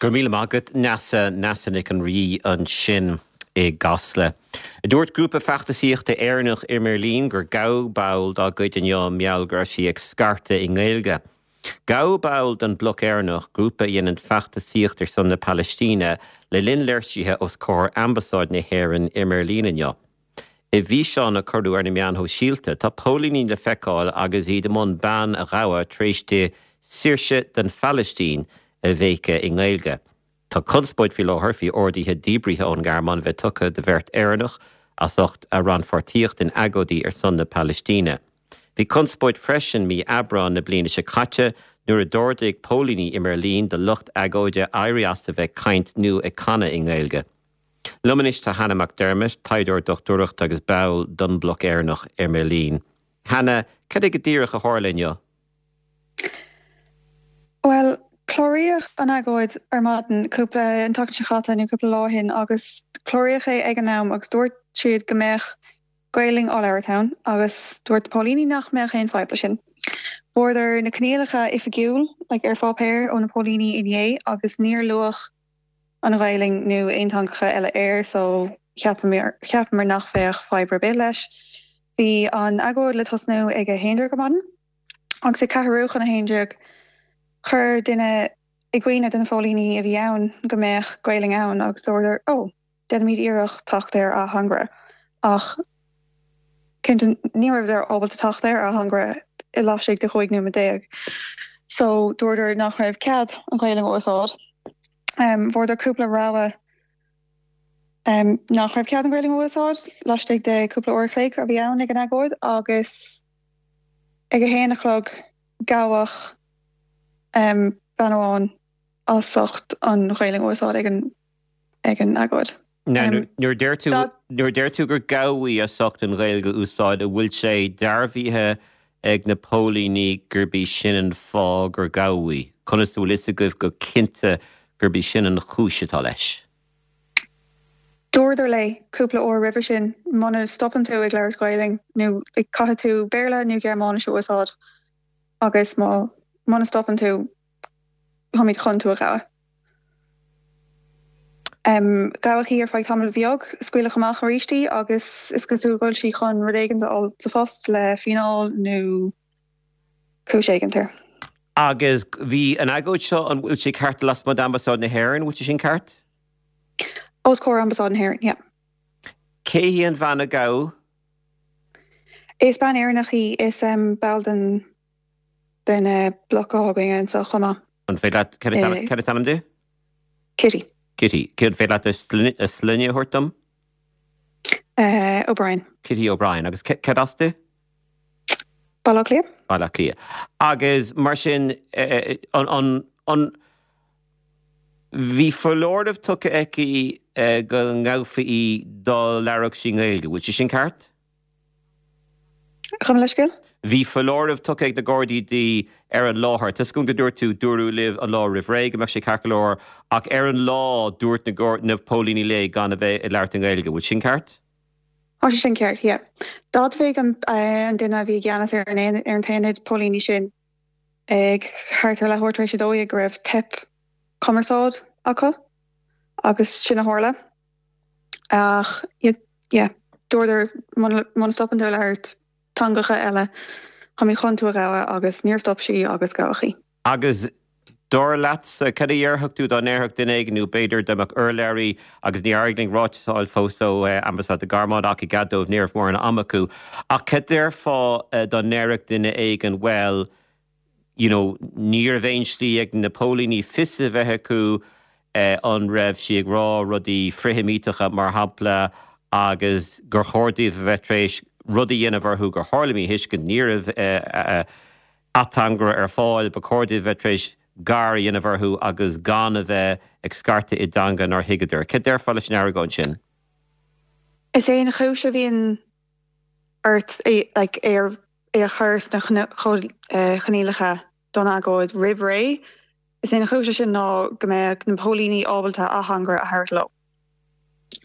Go raibh míle maith agat, Neasa. Neasa Nic an Rí ansin i gCasla. Dúirt grúpa feachtasaíochta Éireannach i mBeirlín gur gabhadh ball dá gcuid inniu mar gheall go raibh sí ag scairteadh i nGaeilge. Gabhadh ball den Bloc Éireannach, grúpa a dhéanann feachtasaíocht ar son na Palaistíne, le linn léirsithe os comhair Ambasáid na hÉireann i mBeirlín inniu. I bhfíseán a cuireadh ar na meáin shóisialta, tá póilíní le feiceáil agus iad i mbun bean a ghabhadh tar éis di 'Saoirse don Phalaistín' a bhéiceadh i nGaeilge. Tá conspóid faoi láthair faoi orduithe díbrithe ón nGearmáin a bheith tugtha do bheirt Éireannach as ucht a rannpháirtíocht in agóidí ar son na Palaistíne. Bhí conspóid freisin mí Aibreáin na bliana seo caite nuair a d'ordaigh póilíní i mBeirlín do lucht agóide éirí as a bheith ag caint nó ag canadh i nGaeilge. Liom anois tá Hannah McDermott, taighdeoir dochtúireachta agus ball den Bhloc Éireannach i mBeirlín. Hannah, cad é go díreach a tharla inniu? Bhuel, cláraíodh an agóid ar maidin cúpla, an tseachtain seo chaite nó cúpla lá ó shin agus cláraíodh é ag an am agus dúirt siad go mbeadh Gaelainn á labhairt ann agus dúirt na póilíní nach mbeadh aon fadhb leis sin. Fuaireadar na coinníollacha oifigiúil, like ar pháipéar ó na póilíní inné agus níor luadh an Ghaelainn nó aon teangacha eile air so cheapamar cheapamar nach bheadh fadhb ar bith leis. Bhí an agóid le tosnú ag a haon déag ar maidin agus ag ceathrú chun a haon déag chuir duine i gcuimhne do na póilíní a bhí ann go mbeadh Gaelainn ann agus dúradar oh déanfaimid iarracht teacht ar ateangaire ach cinnte ní rabhadar ábalta teacht ar ateangaire i laistigh de 15 nóiméad. So dúradar nach raibh cead an Ghaelainn a úsáid. Fuaireadar cúpla rabhadh nach raibh cead an Ghaelainn a úsáid laistigh de cúpla uair a chloig a bhí ann ag an agóid agus ag a haon a chlog gabhadh bean amháin as ucht an Ghaelainn a úsáid ag an ag an agóid. Now, nuair a deir tú, nuair a deir tú gur gabhadh í as ucht an Ghaeilge a úsáid, an bhfuil sé dearbhaithe ag na póilíní gurb í sin an fáth gur gabhadh í? Conas a bhfuil fhios agaibh go cinnte gurb í sin an chúis atá leis? Dúradar léi cúpla uair roimhe sin, muna stopann tú ag labhairt Gaelainn nó caithfidh tú Béarla nó Gearmáinis a úsáid agus má, muna stopann tú, táimid chun tú a ghabhadh. Gabhadh í ar feadh tamaill bheag, scaoileadh amach arís í agus is cosúil go bhfuil sí chun rud éigin a fháil sa phost le fíneáil nó cúis éigin air. Agus bhí an agóid seo, an bhfuil sé ceart lasmuigh d'Ambasáid na hÉireann, bhfuil sé sin ceart? Os comhair Ambasáid na hÉireann, yeah. Cé hí an bhean a gabhadh? Is bean Éireannach í, is ball den den Bloc atá againn anseo chomh maith. An féidir leat, cad is ainm di? Kitty. Kitty. An féidir leat a sloinne a thabhairt dom? O'Brien. Kitty O'Brien. Agus cad as di? Baile Átha Cliath. Baile Átha Cliath. Agus mar sin, an, an, bhí foláireamh tugtha aici go ngabhfaí í dá labhródh sí i nGaeilge, bhfuil sé sin ceart? Gabh mo leithscéal? Bhí foláireamh tugtha ag na Gardaí di ar an láthair. Tá 'fhios agam go dúirt tú, dúradh libh an lá roimh ré go mbeadh sé ceart go leor, ach ar an lá dúirt na na póilíní léi gan a bheith ag labhairt i nGaeilge. Bhfuil sin ceart? Tá sé sin ceart, yeah. D'admhaigh an an duine a bhí i gceannas ar an ar an t-aonad póilíní sin ag thart ar leathuair tar éis a 12 go raibh teip cumarsáid acu agus sin a tharla. Ach yeah, dúradar muna stopann tú ag labhairt teangacha eile, táimid chun tú a ghabhadh agus níor stop sí agus gabhadh í. Agus dar leatsa, cad a dhéarfadh tú dá ndéarfadh duine éigin nó b'fhéidir dá mbeadh urlabhraí, agus níor éirigh linn ráiteas a fháil fós ó Ambasáid na Gearmáine ach i gcead dóibh ní raibh mórán ama acu, ach cad déarfá dá ndéarfadh duine éigin bhuel, you know, ní raibh aon slí ag na póilíní fios a bheith acu an raibh sí ag rá rudaí frithsheimíteacha, mar shampla, agus gur chóir dóibh a bheith tar éis rud a dhéanamh orthu gur tharla míthuiscint, ní raibh ateangaire ar fáil, ba chóir dóibh a bheith tar éis gar a dhéanamh orthu agus gan a bheith ag scairteadh i dteanga nár thuigeadar. Cad déarfá leis an argóint sin? Is é an chúis a bhíonn ort é like é a chur sna coinníollacha don agóid roimh ré. Is é an chúis leis sin ná go mbeadh na póilíní ábalta ateangaire a thabhairt leo.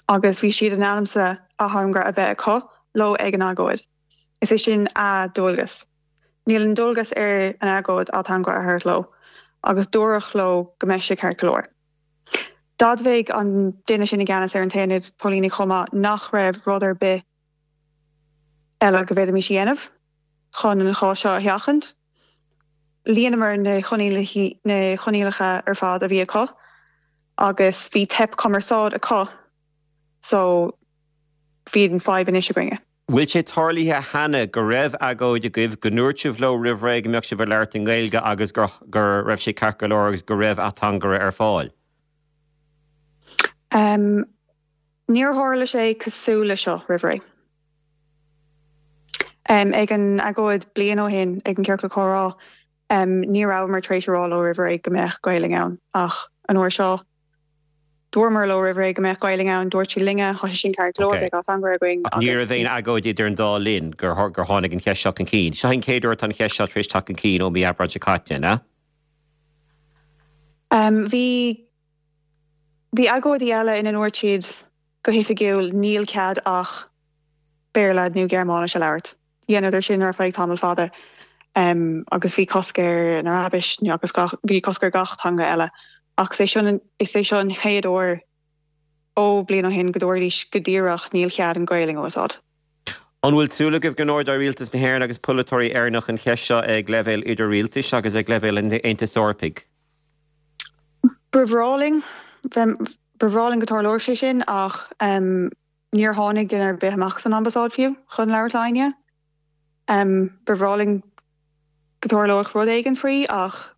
Agus bhí siad in ainm is ateangaire a bheith acu leo ag an agóid. Is é sin a ndualgas. Níl an dualgas ar an agóid ateangaire a thabhairt leo agus dúradh leo go mbeidh sé ceart go leor. D'admhaigh an duine sin i gceannas ar an t-aonad póilíní chomh maith nach raibh rud ar bith eile go bhféadfaimis a dhéanamh chun an chás seo a sheachaint. Líonamar na coinníollacha ar fad a bhí acu agus bhí teip cumarsáid acu so bhí an fadhb anois againne. Bhfuil sé tarlaithe cheana go raibh agóid agaibh, go ndúirt sibh leo roimh ré go mbeadh sibh ag labhairt i nGaeilge agus go raibh sé ceart go leor agus go raibh ateangaire ar fáil? Níor tharla sé cosúil le seo roimh ré. Ag an agóid bliain ó shin ag an Ciorcal Comhrá, ní rabhamar tar éis a rá leo roimh ré go mbeadh Gaelainn ann ach an uair seo, Dúramar leo roimh ré go mbeadh Gaelainn ann, dúirt siad linne, tá sé sin ceart go leor, beidh ateangaire againn Ach ní raibh aon agóid idir an dá linn gur tháinig an cheist seo chun cinn. Seo an chéad uair atá an cheist seo tar éis teacht chun cinn ó mí Aibreáin seo caite, an ea? Bhí, bhí agóidí eile ina ndúirt siad go hoifigiúil níl cead ach Béarla nó Gearmáinis a labhairt. Dheineadar sin ar feadh tamall fada agus bhí cosc ar an Araibis agus bhí cosc ar gach teanga eile ach is é seo is é seo an chéad uair ó bliain ó shin go dúraidís go díreach níl cead an Ghaelainn a úsáid. An bhfuil súil agaibh go n-ardóidh Rialtas na hÉireann agus polaiteoirí Éireannach an cheist seo ag leibhéal idir-rialtais agus ag leibhéal an Aontais Eorpaigh? Ba bhreá linn, ba bhreá linn go dtarlódh sé sin ach Níor tháinig duine ar bith amach as an ambasáid fiú chun labhairt le éinne. Ba bhreá linn go dtarlódh rud éigin faoi ach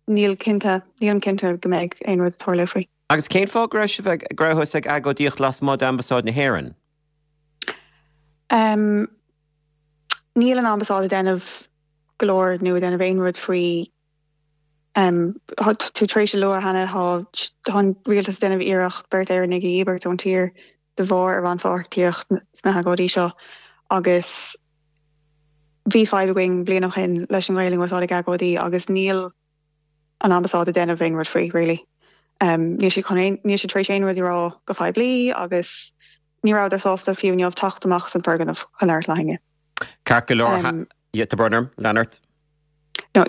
níl cinnte, nílim cinnte go mbeidh aon rud ag tarlú faoi. Agus cén fáth go raibh sibh ag, go rabhthas ag agóidíocht lasmuigh d'ambasáid na hÉireann? Níl an ambasáid ag déanamh go leor nó ag déanamh aon rud faoi Tá tú tar éis a lua cheana, tá an rialtas ag déanamh iarracht beirt Éireannaigh a dhíbirt ón tír de bharr a rannpháirtíocht sna hagóidí seo agus bhí fadhb againn bliain ó shin leis an Ghaelainn a úsáid ag agóidí agus níl an ambasáid ag déanamh aon rud faoi really. Níl siad chun aon, níl siad tar éis aon rud a rá go poiblí agus ní rabhadar sásta fiú inniu teacht amach as an foirgneamh chun labhairt le héinne. Ceart go leor, tá brón orm, lean ort. No,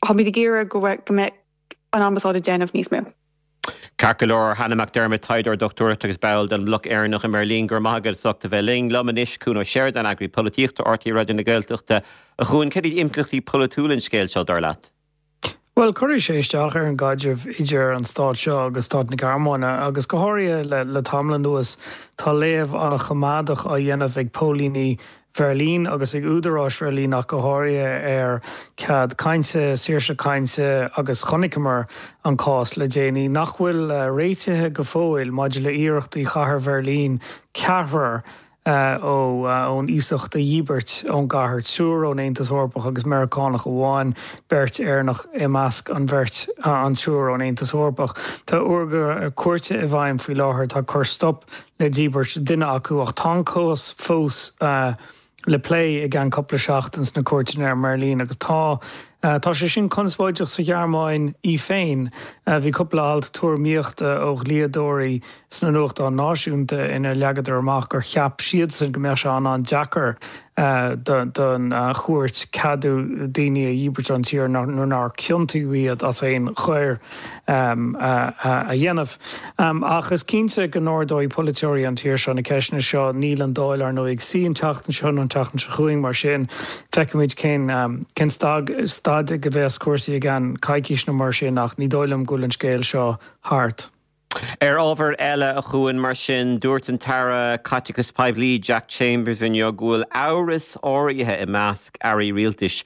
táimid ag iarraidh go mbeidh an ambasáid ag déanamh níos mó. Ceart go leor, Hannah McDermott, taighdeoir dochtúireachta agus ball den mBloc Éireannach i mBeirlín, go raibh maith agat as ucht a bheith linn. Liom anois, Cuan Ó Seireadáin, eagraí polaitíochta RTÉ Raidió na Gaeltachta. A Chuain, cad iad impleachtaí polaitiúla an scéil seo, dar leat? Bhuel, cuirfidh sé isteach ar an gcaidreamh idir an stát seo agus stát na Gearmáine, agus go háirithe le tamall anuas tá léamh an-choimeádach á dhéanamh ag póilíní Bheirlín agus ag údaráis Bheirlín ach go háirithe ar cead cainte, saoirse cainte agus chonaiceamar an cás le déanaí nach bhfuil réitithe go fóill maidir le iarrachtaí chathair Bheirlín ceathrar ón iasacht a dhíbirt ón gcathair, triúr ón Aontas Eorpach agus Meiriceánach amháin, beirt Éireannach i measc an bheirt, an triúr ón Aontas Eorpach. Tá urghaire cúirte i bhfeidhm faoi láthair atá ag cur stop le díbirt duine acu ach tá an cás fós le plé i gceann cúpla seachtain sna cúirteanna i mBeirlín agus tá Tá sé sin conspóideach sa Ghearmáin í féin. Bhí cúpla alt tuairimíochta ó dhlíodóirí sna nuachtáin náisiúnta ina leagadar amach gur cheap siadsan go mbeadh sé an-an-deacair don chúirt ceadú daoine a dhíbirt ón tír nuair nár ciontaíodh iad as aon choir a dhéanamh. Ach is cinnte go n-ardóidh polaiteoirí an tír seo na ceisteanna seo. Níl an Dáil, ar ndóigh, ag suí an tseachtain seo nó an tseachtain seo chugainn, mar sin feicfimid cén cén staid ag a bheas cúrsaí i gceann coicís nó mar sin ach ní dóigh liom go bhfuil an scéal seo thart. Ar ábhar eile, a Chuain, mar sin, dúirt an tAire Caiteachais Poiblí Jack Chambers inniu go bhfuil amhras áirithe i measc airí rialtais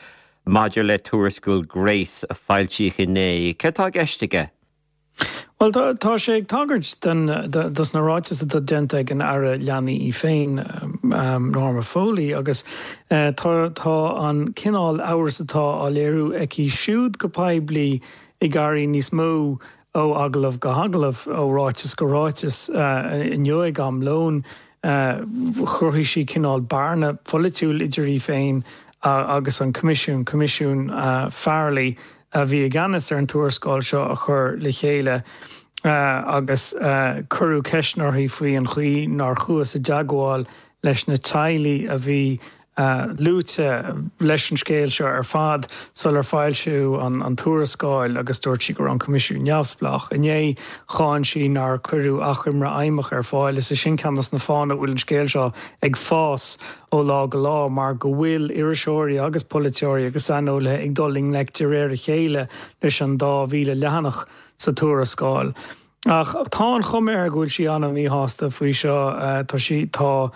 maidir le tuarascáil Grace a foilsíodh inné. Céard atá i gceist aige? Bhuel, tá sé ag tagairt dos na ráitis atá déanta ag an Aire Leanaí í féin, Norma Foley, agus tá an cineál amhras atá á léiriú aici siúd go poiblí ag éirí níos mó ó agallamh go hagallamh, ó ráiteas go ráiteas. Inniu ag am lóin, chruthaigh sí cineál bearna pholaitiúil idir í féin agus an Coimisiún, Coimisiún Farrelly, a bhí i gceannas ar an tuarascáil seo a chur le chéile agus cuireadh ceisteanna uirthi faoi an chaoi nár chuathas i dteagmháil leis na teaghlaigh a bhí. Luaite leis an scéal seo ar fad sular foilsíodh an tuarascáil agus dúirt sí go raibh an Coimisiún neamhspleách. Inné, cháin sí nár cuireadh achoimre fheidhmeach ar fáil. Is é sin ceann de na fáthanna a bhfuil an scéal seo ag fás ó lá go lá mar go bhfuil iriseoirí agus polaiteoirí agus saineolaithe ag dul i ngleic de réir a chéile leis an 2,000 leathanach sa tuarascáil. Ach tá an chuma air go bhfuil sí an-mhíshásta faoi seo. Tá sí, tá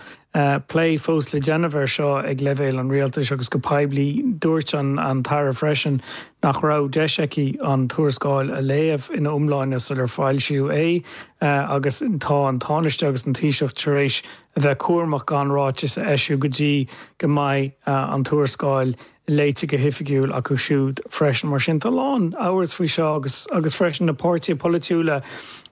plé fós le déanamh air seo ag leibhéal an rialtais agus go poiblí. Dúirt an tAire freisin nach raibh deis aici an tuarascáil a léamh ina iomláine sular foilsíodh é agus tá an Tánaiste agus an Taoiseach tar éis a bheith cúramach gan ráiteas a eisiú go dtí go mbeidh an tuarascáil léite go hoifigiúil acu siúd freisin. Mar sin, tá a lán amhras faoi seo agus agus freisin na páirtithe polaitiúla,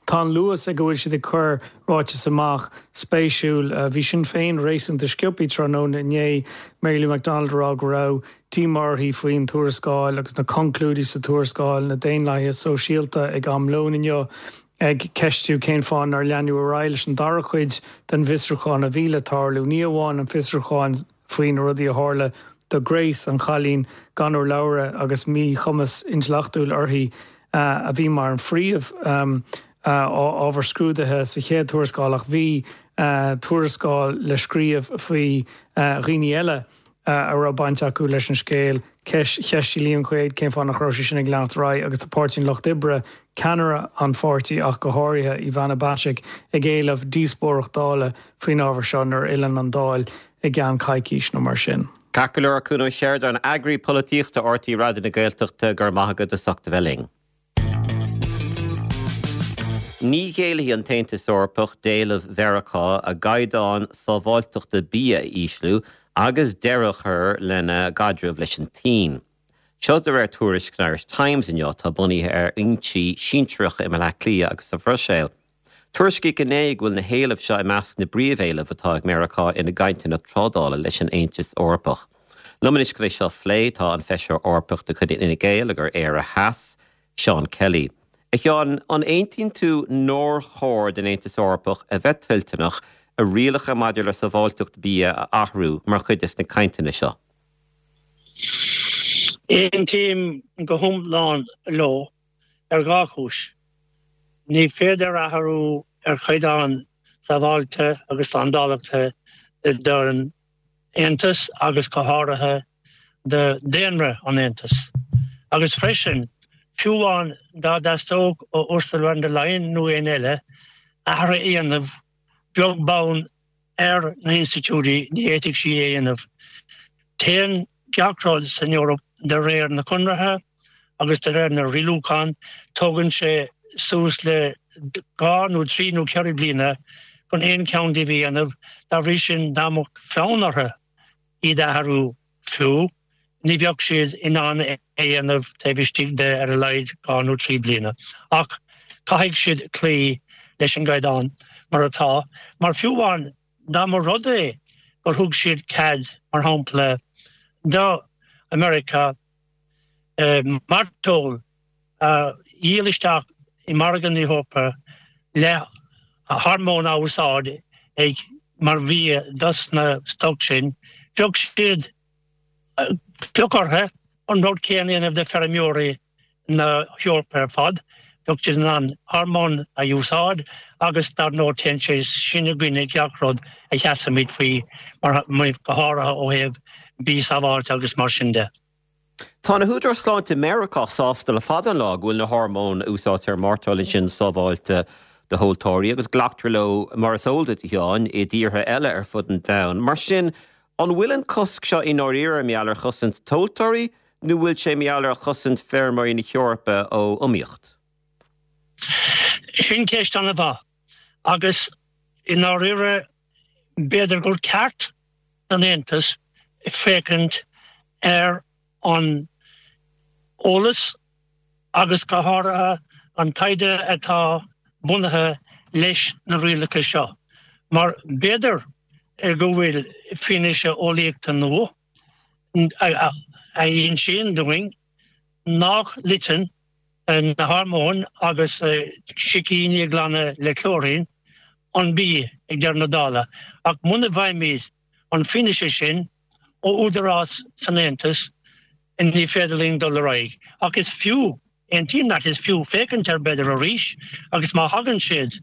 tá an luas ag a bhfuil siad ag cur ráiteas amach spéisiúil. Bhí Sinn Féin réasúnta sciobtha tráthnóna inné, Mary Lou McDonald ag rá go raibh díomá uirthi faoin tuarascáil agus na conclúidí sa tuarascáil, na Daonlathaithe Sóisialta ag am lóin inniu ag ceistiú cén fáth nár leanadh ar aghaidh leis an dara cuid den bhfiosrúchán a bhí le tarlú, ní amháin an fiosrúchán faoi na rudaí a tharla do Grace, an chailín gan urlabhra agus míchumas intleachtúil uirthi, a bhí mar an phríomh ábhar scrúdaithe sa chéad tuarascáil ach bhí tuarascáil le scríobh faoi dhaoine eile a raibh baint acu leis an scéal. Cheistigh Liam Quaide cén fáth nach raibh sé sin ag leanacht ar aghaidh agus tá Páirtí an Lucht Oibre, ceannaire an pháirtí ach go háirithe, Ivana Bacik, ag éileamh díospóireacht Dála faoin ábhar seo nuair a fhilleann an Dáil i gceann coicís nó mar sin. Ceart go leor, Cuan Ó Seireadáin, Eagraí Polaitíochta RTÉ Raidió na Gaeltachta, go raibh maith agat as ucht a bheith linn. Ní ghéillfidh an tAontas Eorpach d'éileamh Mheiriceá a gcaighdeáin sábháilteachta bia a ísliú agus deireadh a chur lena gcaidreamh leis an tSín. Seo de réir tuairisc san Irish Times inniu atá bunaithe ar fhoinsí sinsearacha i mBaile Átha Cliath agus sa Bhruiséil. Tuairiscíodh inné go bhfuil na héilimh seo i measc na bpríomhéileamh atá ag Meiriceá ina gcainteanna trádála leis an Aontas Eorpach. Liom anois chun é seo a phlé tá an Feisire Eorpach de chuid Fhine Gael agur Éire Theas, Seán Kelly. A Sheáin, an aontaíonn tú nár chóir don Aontas Eorpach a bheith toilteanach a rialacha maidir le sábháilteacht bia a athrú mar chuid des na cainteanna seo? Aontaím go hiomlán leo. ar dhá chúis. Ní féidir athrú ar chaighdeáin sábháilte agus slándáileachta don Aontas agus go háirithe do daonra an Aontais. Agus freisin, fiú amháin dá dteastódh ó Ursula von der Leyen nó éinne eile athrú a dhéanamh, beag beann ar na hinstitiúidí, ní fhéadfadh sí é a dhéanamh. Téann gach rud san Eoraip de réir na conartha agus de réir na rialúchán. Tógann sé suas le dhá nó trí nó ceithre bliana chun aon cheann díobh a dhéanamh. Dá bhrí sin, dá mbeadh fonn orthu iad a athrú fiú, ní bheadh siad in ann é a dhéanamh taobh istigh de ar a laghad dhá nó trí bliana. Ach caithfidh siad cloí leis an gcaighdeán mar atá, mar fiú amháin dá mba rud é gur thug siad cead, mar shampla, do Mheiriceá mairteoil a dhíol isteach i margadh na hEorpa le hormóin á úsáid ag mar bhia dos na stoc sin, bheadh siad, bheadh orthu an rud céanna a dhéanamh do feirmeoirí na hEorpa ar fad, bheadh siad in ann hormóin a úsáid agus dar ndóigh téann sé sin i gcoinne gach rud a sheasaimid faoi, mar, go háirithe ó thaobh bia sábháilte agus mar sin de. Tá na húdaráis sláinte i Meiriceá sásta le fada an lá go bhfuil na hormóin a úsáidtear i mairteoil ansin sábháilte do thomhaltóirí agus glactar leo, mar is eol duit, a Sheáin, i dtíortha eile ar fud an domhain. Mar sin, an bhfuil an cosc seo i ndáiríre mar gheall ar chosaint tomhaltóirí nó bhfuil sé mar gheall ar chosaint feirmeoirí na hEorpa ó iomaíocht? Sin ceist an-mhaith agus i ndáiríre b'fhéidir gur ceart don Aontas féachaint ar an eolas agus go háirithe an taighde atá bunaithe leis na rialacha seo, mar b'fhéidir go bhfuil fianaise eolaíochta nua a insíonn dúinn nach loiteann na hormóin agus sicíní a ghlanadh le clóirín an bia ag deireadh na dála. Ach muna bhfaighimid an fianaise sin. ó údarás san Aontas, ní féidir linn dul ar aghaidh. Ach is fiú, aontaím leat, is fiú féachaint air b'fhéidir arís agus má thagann siad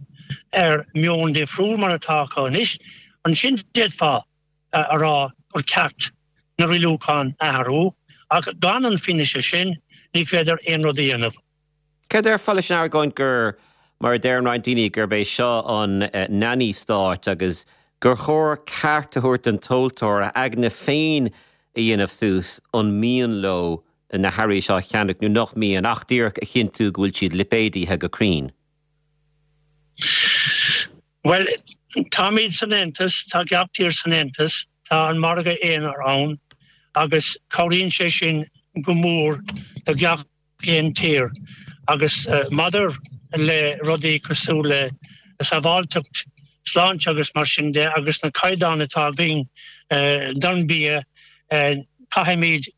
ar meon difriúil mar atá acu anois, ansin d'fhéadfá a rá gur ceart na rialúcháin a athrú ach gan an fianaise sin ní féidir aon rud a dhéanamh. Céard a déarfá leis an argóint gur, mar a deireann roinnt daoine, gurb é seo an nanny state agus gur chóir ceart a thabhairt don tomhaltóir a aigne féin a dhéanamh suas an mian leo na hearraí seo a cheannach nó nach mian, ach díreach a chinntiú go bhfuil siad lipéadaithe go cruinn? Bhuel, táimid san Aontas, tá gach tír san Aontas, tá an margadh aonair ann agus cabhraíonn sé sin go mór do gach aon tír agus maidir le rudaí cosúil le sábháilteacht, sláinte agus mar sin de agus na caighdeáin atá againn don bia, caithfimid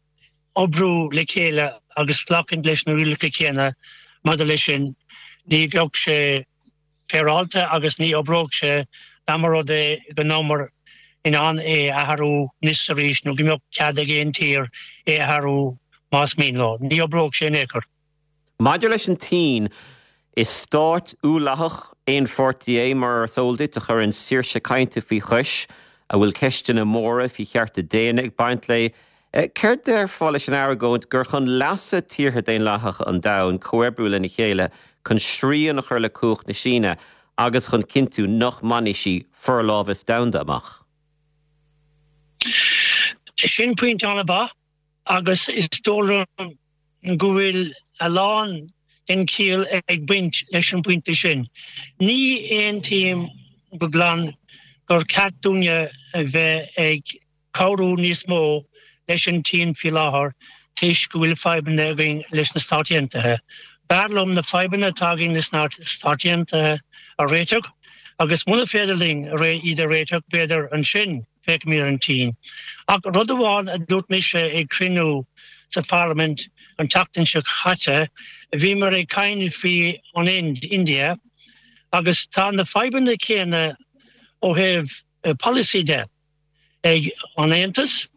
oibriú le chéile agus glacadh leis na rialacha céanna maidir leis sin. Ní bheadh sé féaráilte agus ní oibreodh sé dá mba rud é go mbeadh muid in ann é a athrú anois is arís nó go mbeadh cead ag aon tír é a athrú más mian leo. Ní oibreodh sé in aon chor. Maidir leis an tSín, is stát uathlathach aonpháirtí é, mar is eol duit, a chuireann saoirse cainte faoi chois, a bhfuil ceisteanna móra faoi chearta daonna ag baint léi. Céard déarfá leis an argóint gur chun leasa tíortha daonlathacha an domhain comhoibriú lena chéile chun srian a chur le cumhacht na Síne agus chun cinntiú nach mbainfidh sí forlámhas domhanda amach? Sin pointe an-mhaith agus is dóigh liom go bhfuil a lán den chiall ag baint leis an bpointe sin. Ní aontaím go glan gur ceart dúinne a bheith ag cabhrú níos mó leis an tSín faoi láthair toisc go bhfuil fadhbanna againn leis na Stáit Aontaithe. B'fhearr liom na fadhbanna atá againn leis na Stáit Aontaithe a réiteach agus muna féidir linn iad a réiteach, b'fhéidir ansin féachfaimid ar an tSín. Ach rud amháin a dúirt mise ag cruinniú sa Pharlaimint an tseachtain seo caite, bhíomar ag caint faoi an Ind, India, agus tá na fadhbanna céanna ó thaobh polasaí de. ag an Aontas,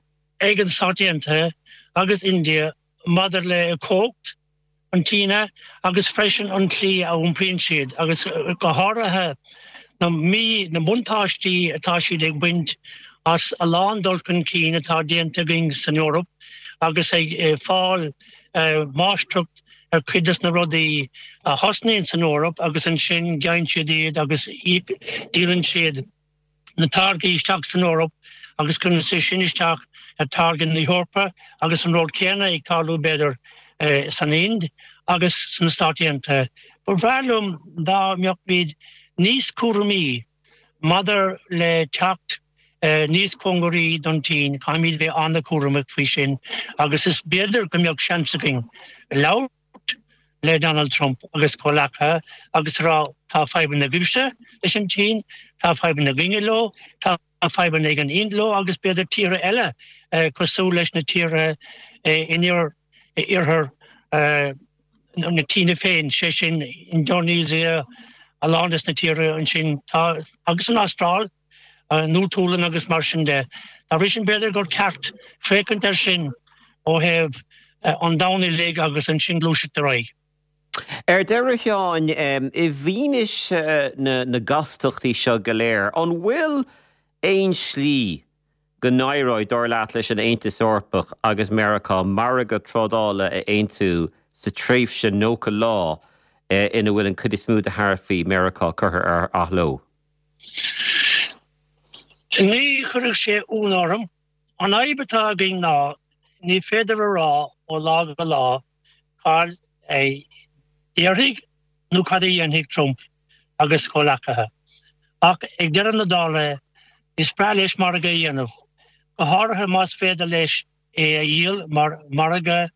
ag an Stáit Aontaithe agus India maidir le cumhacht an tSíne agus freisin an tslí a iompraíonn siad agus go háirithe na mí na buntáistí atá siad ag baint as a lán dul chun cinn atá déanta againn san Eoraip agus ag fáil máistreacht ar chuid des na rudaí a thosnaíonn san Eoraip agus ansin gheibheann siad iad agus díolann siad na táirgí isteach san Eoraip agus cuireann sé sin isteach ar táirgeadh na hEorpa agus an rud céanna ag tarlú b'fhéidir san Ind agus sna Stáit Aontaithe. Ba bhreá liom dá mbeadh muid níos cúramaí maidir le teacht níos cóngaraí don tSín, caithfimid bheith an-chúramach faoi sin agus is b'fhéidir go mbeadh seans againn labhairt le Donald Trump agus comhleacaithe agus a rá tá fadhbanna agaibhse leis an tSín, tá fadhbanna againne leo, tá fadhbanna ag an Ind leo agus b'fhéidir tíortha eile cosúil leis na tíortha in iarthar na tSíne féin, sé sin Indonesia, a lán des na tíortha ansin tá agus an Astráil. an Nua-Shéalainn agus mar sin de. Dá bhrí sin b'fhéidir gur ceart féachaint air sin ó thaobh an domhain uilig agus ansin gluaiseacht ar aghaidh. Ar deireadh, a Sheáin, i bhfianaise na gcastachtaí seo go léir, an bhfuil aon slí go n-éireoidh, dar leat, leis an Aontas Eorpach agus Meiriceá margadh trádála a aontú sa tréimhse 90 lá ina bhfuil an chuid is mó de tharaifí Meiriceá curtha ar athló? Ní chuirfeadh sé ionadh orm. An fhadhb atá againn ná ní féidir a rá ó lá go lá cad a déarfaidh nó cad a dhéanfaidh Trump agus a chomhleacaithe. Ach ag deireadh na dála is breá leis margadh a dhéanamh, go háirithe más féidir leis é a dhíol mar mhargadh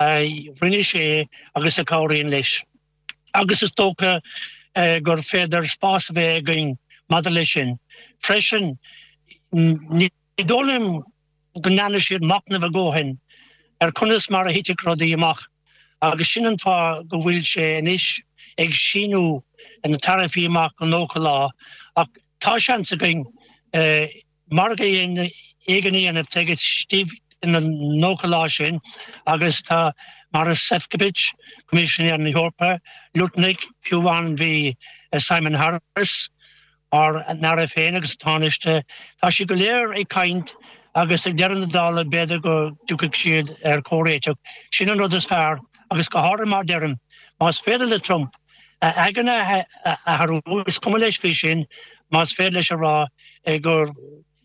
a rinne sé agus a chabhraíonn leis. agus is dócha gur féidir spás a bheith againn maidir leis sin. Freisin, ní dóigh liom go ndearna siad machnamh a ndóthain ar conas mar a thitfeadh rudaí amach agus sin an fáth go bhfuil sé anois ag síniú na taraifí amach go 90 lá ach tá seans againn margadh a. éigin a dhéanamh taobh istigh de na 90 lá sin agus tá Maros Sefcovic, Coimisinéir na hEorpa, Lutnick, fiú amháin bhí Simon Harris, ár n-aire féin agus an Tánaiste, tá siad go léir ag caint agus ag deireadh na dála b'fhéidir go dtiocfaidh siad ar chomhréiteach. Sin an rud is fearr agus go háirithe mar deirim, más féidir le Trump a aigne a athrú, is cuma leis faoi sin, más féidir leis a rá gur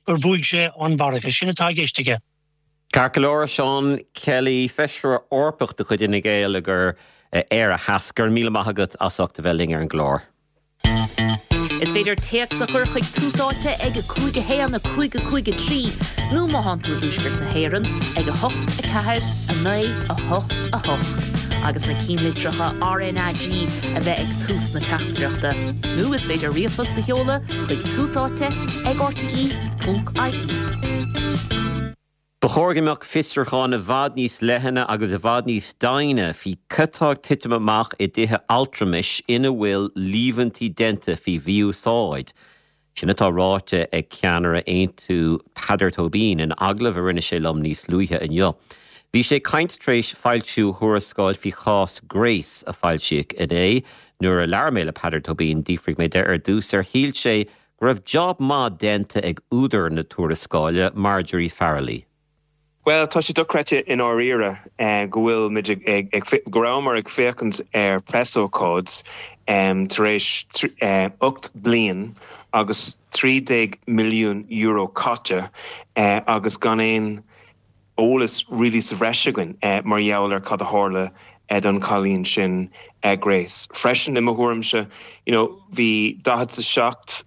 bhuaigh sé an mhargadh. Sin atá i gceist aige. Ceart go leor, Seán Kelly, Feisire Eorpach de chuid Fhine Gael ag Éire Theas, go raibh míle maith agat as ucht a bheith linn ar an gclár. Is féidir téacs a chur chuig Tús Áite ag 5 1 5 5 3 nó má thánn tú i dTuaisceart na hÉireann ag 8 4 9 8 8 agus na cinnlitreacha RnaG a bheith ag tús na teachtaireachta. Nó is féidir ríomhphost a sheoladh chuig Tús Áite ag rte.ie. Ba chóir go mbeadh fiosrúchán i bhfad níos leithne agus i bhfad níos doimhne faoi cad tá ag titim amach i dtithe altramais ina bhfuil líomhaintí déanta faoi mhí-úsáid. Sin atá ráite ag ceannaire Aontú Peadar Tóibín in agallamh a rinne sé liom níos luaithe inniu. Bhí sé ag caint tar éis foilsiú thuarascáil faoi chás Grace a foilsíodh inné. Nuair a labhair mé le Peadar Tóibín d'fhiafraigh mé de ar dtús ar shíl sé go raibh job maith déanta ag údar na tuarascáile, Marjorie Farrelly. Bhuel, tá sé dochreidte i ndáiríre go bhfuil muid ag, go rabhamar ag féachaint ar preasócáid tar éis 8 bliain agus €13 milliún caite agus gan aon eolas really sa bhreis againn mar gheall ar cad a tharla don chailín sin Grace. Freisin, i mo thuairimse, you know, bhí 47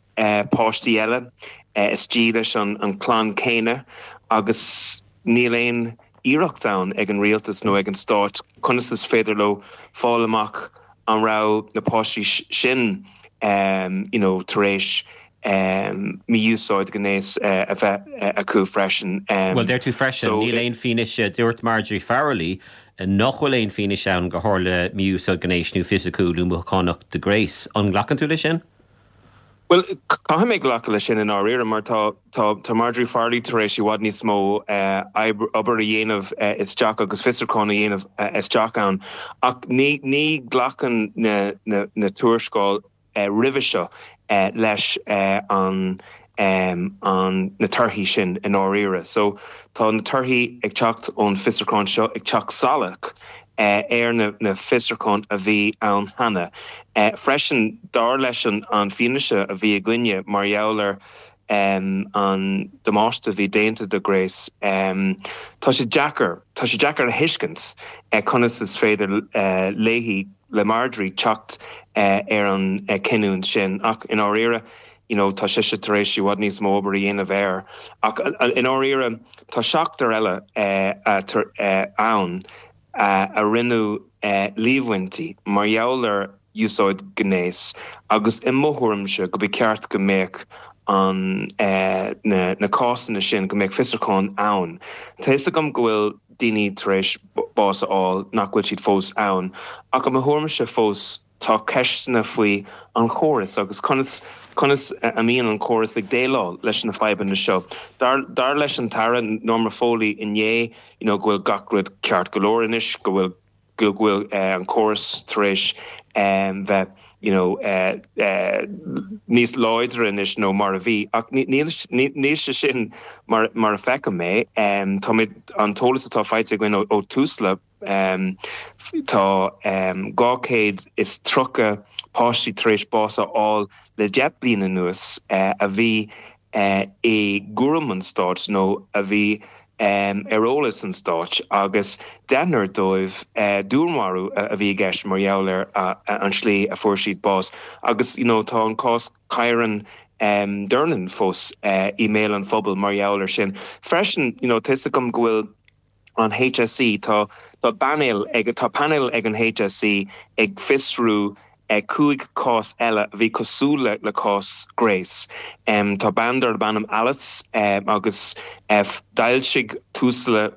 páistí eile istigh leis an clann céanna agus níl aon iarracht ann ag an rialtas nó ag an stáit conas is féidir leo fáil amach an raibh na páistí sin you know tar éis mí-úsáid gnéis a bheith acu freisin. Bhuel, deir tú freisin, níl aon fianaise, dúirt Marjorie Farrelly nach bhfuil aon fianaise ann gur tharla mí-úsáid gnéis nó fisiciúil nó mothúchánach do Grace. An nglacann tú leis sin? Bhuel, caithfidh mé glacadh leis sin i ndáiríre mar tá tá Marjorie Farrelly tar éis i bhfad níos mó obair a dhéanamh isteach agus fiosrúchán a dhéanamh isteach ann ach ní ní ghlacann na na na tuarascáil roimhe seo leis an an na torthaí sin i ndáiríre. So tá na torthaí ag teacht ón fiosrúchán seo ag teacht salach ar na na fiosrúcháin a bhí ann cheana. Freisin, dar leis an an fianaise a bhí againne mar gheall ar an damáiste a bhí déanta do Grace, tá sé deacair, tá sé deacair a thuiscint conas is féidir léi, le Marjorie, teacht ar an cinniúint sin. Ach i ndáiríre, you know, tá sise tar éis i bhfad níos mó obair a dhéanamh air. Ach i ndáiríre, tá seachtar eile ann a rinneadh líomhaintí mar gheall ar úsáid gnéis agus i mo thuairimse go ba cheart go mbeadh an na cásanna sin, go mbeadh fiosrúchán ann. Tá fhios agam go bhfuil daoine tar éis bás a fháil nach bhfuil siad fós ann ach i mo thuairimse fós tá ceisteanna faoi an chóras agus conas conas a mbíonn an córas ag déileáil leis na fadhbanna seo. Dar dar leis an tAire Norma Foley inné you know go bhfuil gach rud ceart go leor anois, go bhfuil go bhfuil an córas tar éis bheith you know níos láidre anois nó mar a bhí ach níl níl sé sin mar mar a feicim é. Tá mé an t-eolas atá faighte againn ó ó Tusla Tá 230 páistí tar éis bás a fháil le 10 bliain anuas a bhí i gcúram an stáit nó a bhí ar eolas an stáit agus deichniúr dóibh dúnmharú a bhí i gceist mar gheall ar an slí a fuair siad bás agus you know tá an cás Kyran Durnin fós i mbéal an phobail mar gheall ar sin. Freisin you know tá fhios agam go bhfuil an HSE, tá tá painéal ag tá painéal ag an HSE ag fiosrú 5 cás eile a bhí cosúil le le cás Grace. Tá bean darb ainm Alice agus d'fhoilsigh Tusla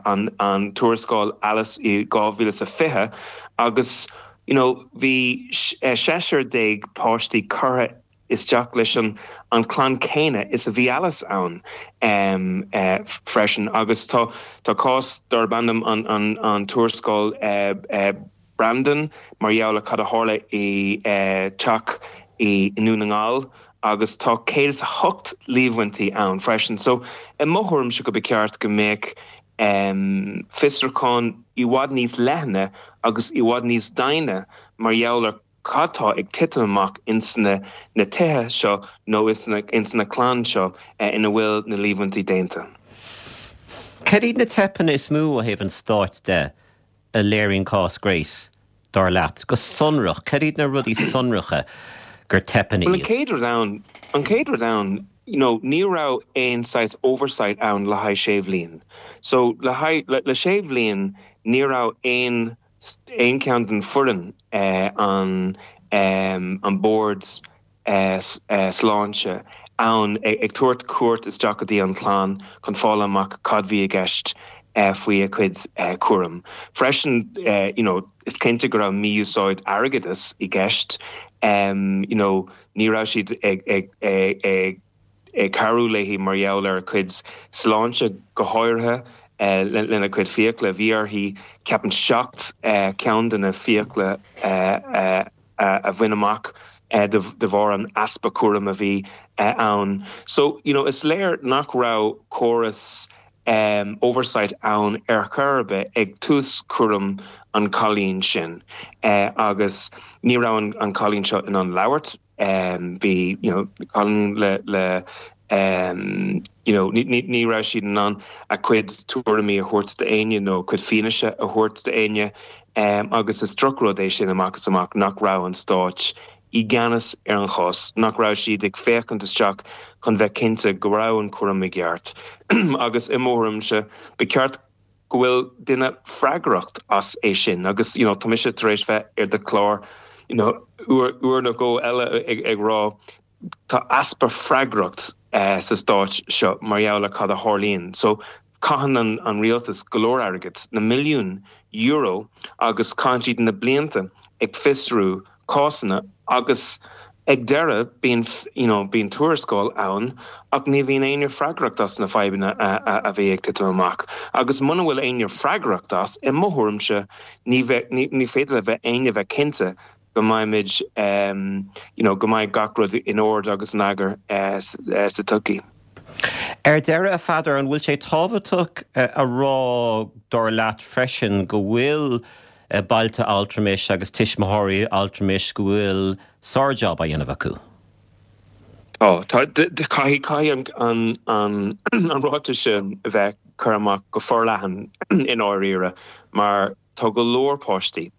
an an tuarascáil Alice i 2020 agus you know bhí seisear déag páistí curtha. isteach leis an an clann céanna is a bhí Alice ann freisin agus tá tá cás darb ainm an an an tuarascáil Brandon mar gheall ar cad a tharla i teach i nDún na nGall agus tá 108 líomhaintí ann freisin. So i mo thuairimse go ba cheart go mbeadh fiosrúchán i bhfad níos leithne agus i bhfad níos doimhne mar gheall ar cad tá ag titim amach ins na na tithe seo nó ins na clann seo ina bhfuil na líomhaintí déanta. Cad iad na teipeanna is mó ó thaobh an stáit de a léiríonn cás Grace, dar leat? Go sonrach, cad iad na rudaí sonracha gur teipeanna iad? Bhuel, an chéad rud ann, an chéad rud ann, you know, ní raibh aon saghas oversight ann le haghaidh sé bhliain. So, le haghaidh, le, le sé bhliain, ní raibh aon, aon ceann den foireann, an, an bord, sláinte ann ag tabhairt cuairt isteach go dtí an chlann chun fáil amach cad bhí i gceist faoi a cuid cúram. Freisin, you know, is cinnte go raibh mí-úsáid airgeadais i gceist, you know, ní raibh siad ag ag ag ag cabhrú léi mar gheall ar a cuid sláinte go háirithe lena cuid fiacla. Bhí uirthi, ceapaim, 7 ceann de na fiacla a a bhaint amach de bharr an easpa cúraim a bhí ann. So, you know, is léir nach raibh córas oversight ann ar chor ar bith ag tús cúram an cailín sin agus ní raibh an cailín seo in ann labhairt. Bhí, you know, cailín le le you know, ní raibh siad in ann a cuid tuairimí a thabhairt d'éinne nó a cuid fianaise a thabhairt d'éinne agus is drochrud é sin amach is amach nach raibh an stáit i gceannas ar an chás, nach raibh siad ag féachaint isteach chun bheith cinnte go raibh an cúram i gceart agus i mo thuairimse ba cheart go bhfuil duine freagracht as é sin agus you know tá mise tar éis bheith ar do chlár you know uair uair nó dhó eile ag ag rá tá easpa freagracht sa stáit seo mar gheall ar cad a tharlaíonn. So caitheann an an rialtas go leor airgid, na milliúin euro agus caitheann siad na blianta ag fiosrú cásanna agus ag deireadh bíonn you know bíonn tuarascáil ann ach ní bhíonn éinne freagracht as na fadhbanna a a bhí ag titim amach agus muna bhfuil éinne freagracht as, i mo thuairimse, ní bheidh ní ní féidir le bheith éinne bheith cinnte go mbeimid you know go mbeidh gach rud in ord agus in eagar sa todhchaí. Ar deireadh, a Pheadair, an bhfuil sé tábhachtach a rá, dar leat freisin, go bhfuil bailte altramais agus tuismitheoirí altramais, go bhfuil sár-jab á dhéanamh acu? Tá. Tá. Caithfidh, caithfidh an, an, an ráiteas sin a bheith curtha amach go forleathan i ndáiríre mar tá go leor páistí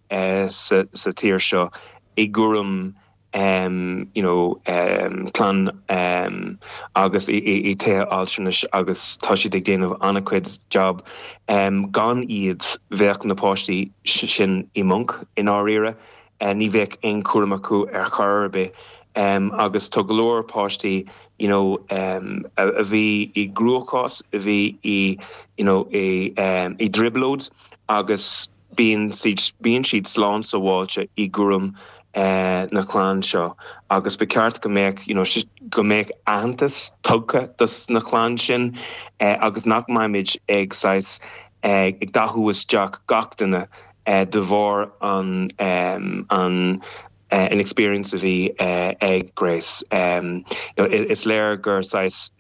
sa, sa tír seo i gcúram you know clann agus i tithe altranais agus tá siad ag déanamh an-chuid job. Gan iad bheadh na páistí sin i mponc i ndáiríre, ní bheadh aon chúram acu ar chor ar bith agus tá go leor páistí you know a bhí i gcruachás, a bhí i you know i dtrioblóid agus Bíonn siad bíonn siad slán sábháilte i gcúram na clann seo agus ba cheart go mbeadh you know go mbeadh aitheantas tugtha dos na clann sin agus nach mbeimid ag saghas ag dathú isteach gach duine de bharr an an an experience a bhí ag Grace. Is léir gur saghas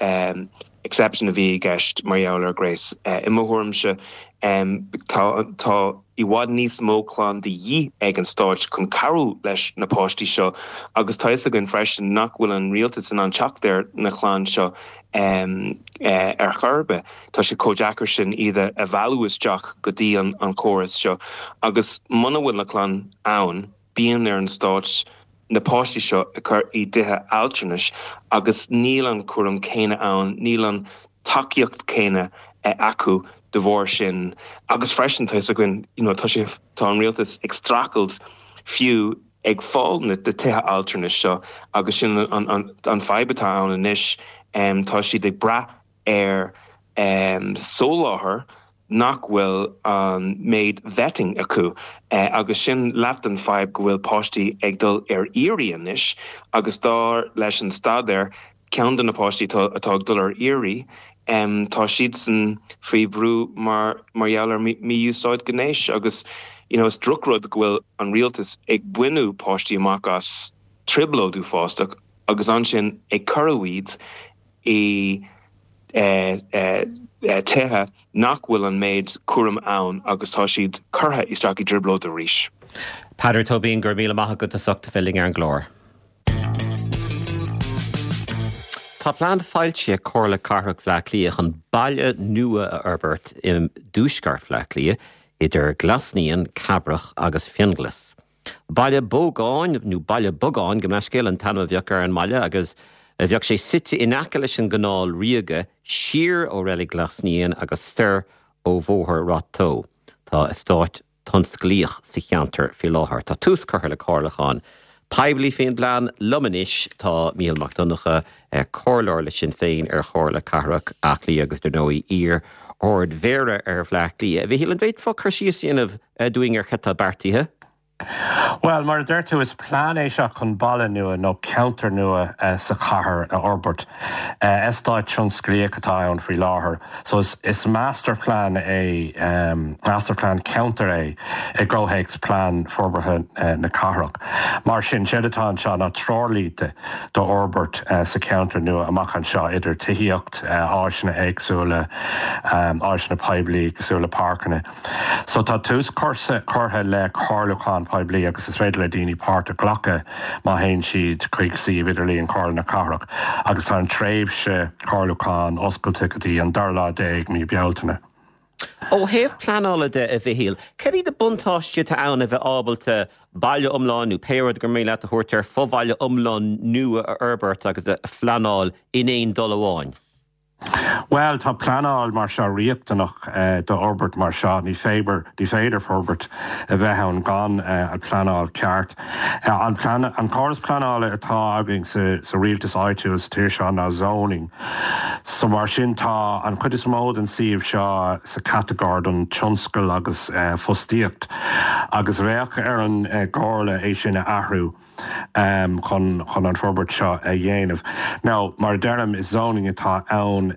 exception a bhí i gceist mar gheall ar Grace. I mo thuairimse, tá tá i bhfad níos mó clann de dhíth ag an stáit chun cabhrú leis na páistí seo agus tá fhios againn freisin nach bhfuil an rialtas in ann teacht ar na clann seo ar chor ar bith. Tá sé chomh deacair sin iad a mhealladh isteach go dtí an córas seo agus muna bhfuil na clann ann, Bíonn ar an stáit na páistí seo a chur i dtithe altranais agus níl an cúram céanna ann, níl an tacaíocht céanna acu de bharr sin agus freisin tá fhios againn you know tá sé, tá an rialtas ag streachailt fiú ag fáil na tithe altranais seo agus sin an, an, an fadhb atá ann anois, tá siad ag brath ar soláthar. nach bhfuil an méid vetting acu agus sin leath den fadhb go bhfuil páistí ag dul ar iarraidh anois agus dar leis an staidéar ceann de na páistí atá ag dul ar iarraidh tá siadsan faoi bhrú mar mar gheall ar mí-úsáid gnéis agus you know is drochrud go bhfuil an rialtas ag baineadh páistí amach as trioblóid uafásach agus ansin ag cuireadh iad i tithe nach bhfuil an méid cúraim ann agus tá siad curtha isteach i dtrioblóid arís. Peadar Tóibín, go raibh míle maith agat as ucht a bheith linn ar an gclár. Tá plean foilsithe ag Comhairle Cathrach Bhaile Átha Cliath chun baile nua a fhorbairt i dtuaisceart Bhaile Átha Cliath, idir Glas Naíon, Cabrach agus Fionnghlas. Baile Bógáin, nó Baile Bogáin, gabh mo leithscéal, an t-ainm a bheadh ar an mbaile agus bheadh sé suite in aice leis an gCanáil Ríoga, siar ó Reilig Ghlas Naíon agus soir ó Bhóthar Ráth Tó. Tá eastát tionsclaíoch sa cheantar faoi láthair. Tá tús curtha le comhairliúchán poiblí faoin bplean. Liom anois tá Mícheál Mac Donncha, comhairleoir le Sinn Féin ar Chomhairle Cathrach Átha Cliath agus dar ndóigh iar-Ard-Mhéara ar Bhaile Átha Cliath. A Mhichíl, an bhféadfá cur síos a dhéanamh dúinn ar cad tá beartaithe? Bhuel, mar a deir tú, is plean é seo chun baile nua nó ceantar nua sa chathair a fhorbairt. Eastát tionsclaíoch atá ann faoi láthair. So is masterplan é, masterplan ceantair é i gcomhthéacs plean forbartha na cathrach. Mar sin, séard atá anseo ná treoirlínte d'fhorbairt sa cheantar nua amach anseo, idir tithíocht, áiseanna éagsúla, áiseanna poiblí cosúil le páirceanna. So tá tús curtha le comhairliúchán poiblí agus is féidir le daoine páirt a ghlacadh má théann siad chuig suíomh idirlíon Chomhairle na Cathrach agus tá an tréimhse comhairliúcháin oscailte go dtí an dara lá déag mí Bealtaine. Ó thaobh pleanála de, a Mhichíl, cad iad na buntáistí atá ann a bheith ábalta baile iomlán nó pé rud gur mian leat a thabhairt air, fobhaile iomlán nua a fhorbairt agus a phleanáil in aon dul amháin? Bhuel, tá pleanáil mar seo riachtanach d'fhorbairt mar seo. Ní féidir, ní féidir forbairt a bheith ann gan an pleanáil ceart. An plean, an córas pleanála atá againn sa, sa rialtas áitiúil sa tír seo ná zoning. So mar sin tá an chuid is mó den suíomh seo sa chatagóir don tionscal agus fostaíocht agus bheadh ar an gComhairle é sin a athrú. chun chun an forbairt seo a dhéanamh. Now, mar a deirim, is zoning atá ann.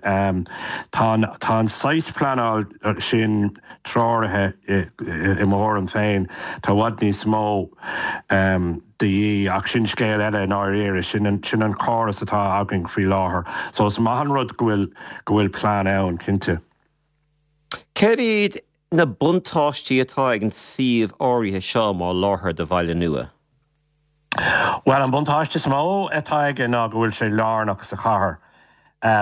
Tá an tá an saghas pleanáil sin treoraithe i mo thuairim féin. Tá i bhfad níos mó de dhíth ach sin scéal eile i ndáiríre. Sin an sin an córas atá againn faoi láthair. So is maith an rud go bhfuil go bhfuil plean ann, cinnte. Céard iad na buntáistí atá ag an suíomh áirithe seo mar láthair do bhaile nua? Bhuel, an buntáiste is mó atá aige ná go bhfuil sé lárnach sa chathair.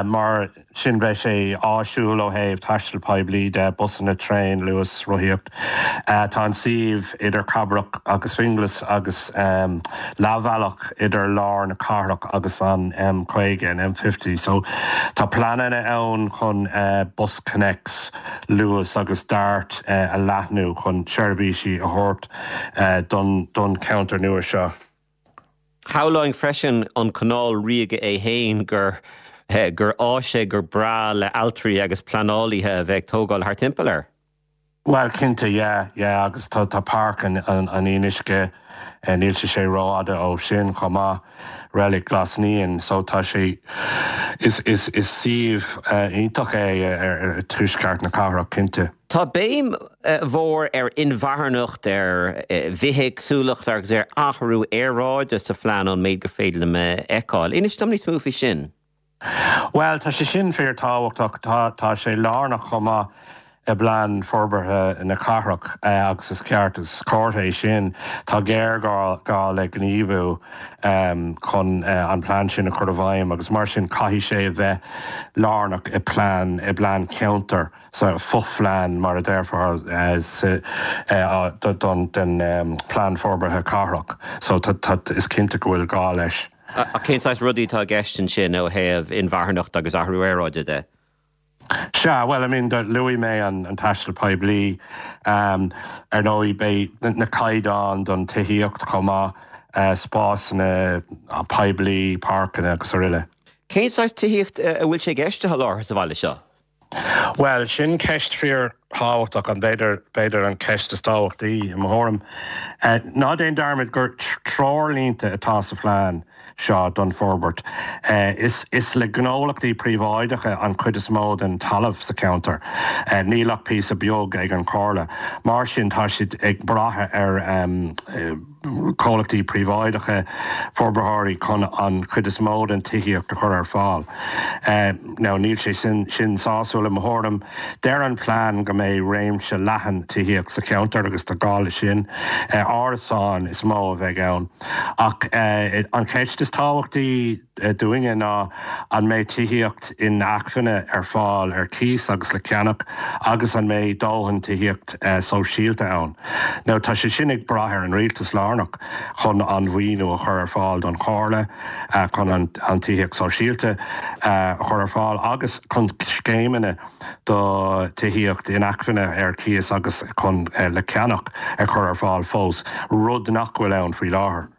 Mar sin beidh sé áisiúil ó thaobh taisteal poiblí de, busanna, traein, Luas, rothaíocht. Tá an suíomh idir Cabrach agus Fionnglas agus leathbhealach idir lár na cathrach agus an M50, an M50. So tá pleananna ann chun BusConnects, Luas agus Dart a leathnú chun seirbhísí a thabhairt don don cheantar nua seo. Shamhlóinn freisin an Canáil Ríoga é fhéin gur gur áis é gur breá le ailtirí agus pleanálaithe a bheith ag tógáil thart timpeall air. Bhuel, cinnte, yeah, yeah, agus tá, tá Páirc an, an, an Fhionnuisce, níl sé sé rófhada ó sin chomh maith, Reilig Ghlas Naíon, so tá sé, is, is, is suíomh iontach é ar, ar tuaisceart na cathrach, cinnte. Tá béim mhór ar inmharthanacht, ar bhithéagsúlacht agus ar athrú aeráide sa phlean ón méid gur féidir liom a fheiceáil. Inis dom níos mó faoi sin. Bhuel, tá sé sin fíorthábhachtach. Tá, tá sé lárnach chomh maith i bplean forbartha na cathrach agus is ceart, is comhartha é sin. Tá géarghá gá le gníomhú chun an plean sin a chur i bhfeidhm agus mar sin caithfidh sé a bheith lárnach i bplean, i bplean ceantair, sa fho-phlean mar a déarfá sa, don, den plean forbartha cathrach. So tá, tá, is cinnte go bhfuil gá leis. Ach cén saghas rudaí atá i gceist ansin ó thaobh inmharthanacht agus athrú aeráide de? Sea, bhuel, I mean, luaigh mé an taisteal poiblí. Ar ndóigh, beidh na caighdeáin don tithíocht chomh maith, spásanna poiblí, páirceanna agus araile. Cén saghas tithíocht a bhfuil sé i gceist a sholáthar sa bhaile seo? Bhuel, sin ceist fíor. thábhachtach, an b'fhéidir, b'fhéidir an cheist is tábhachtaí i mo thuairim. Ná déan dearmad gur treoirlínte atá sa phlean seo don forbairt. Is is le gnólachtaí príobháideacha an chuid is mó den talamh sa cheantar. Níl ach píosa beag ag an Chomhairle. Mar sin tá siad ag brath ar chomhlachtaí príobháideacha, forbarthóirí chun an chuid is mó den tithíocht a chur ar fáil. Now níl sé sin sin sásúil i mo thuairim. Deir an plean go mbeidh réimse leathan tithíocht sa cheantar agus tá gá leis sin. Árasáin is mó a bheidh ann. Ach an cheist is tábhachtaí dúinne ná an mbeidh tithíocht inacmhainne ar fáil ar cíos agus le ceannach agus an mbeidh dóthain tithíocht sóisialta ann. Now tá sé sin ag brath ar an rialtas lárnach chun an mhaoiniú a chur ar fáil don Chomhairle chun an tithíocht sóisialta a chur ar fáil agus chun scéimeanna do tithíocht inacmhainne ar cíos agus chun le ceannach a chur ar fáil fós, rud nach bhfuil ann faoi láthair.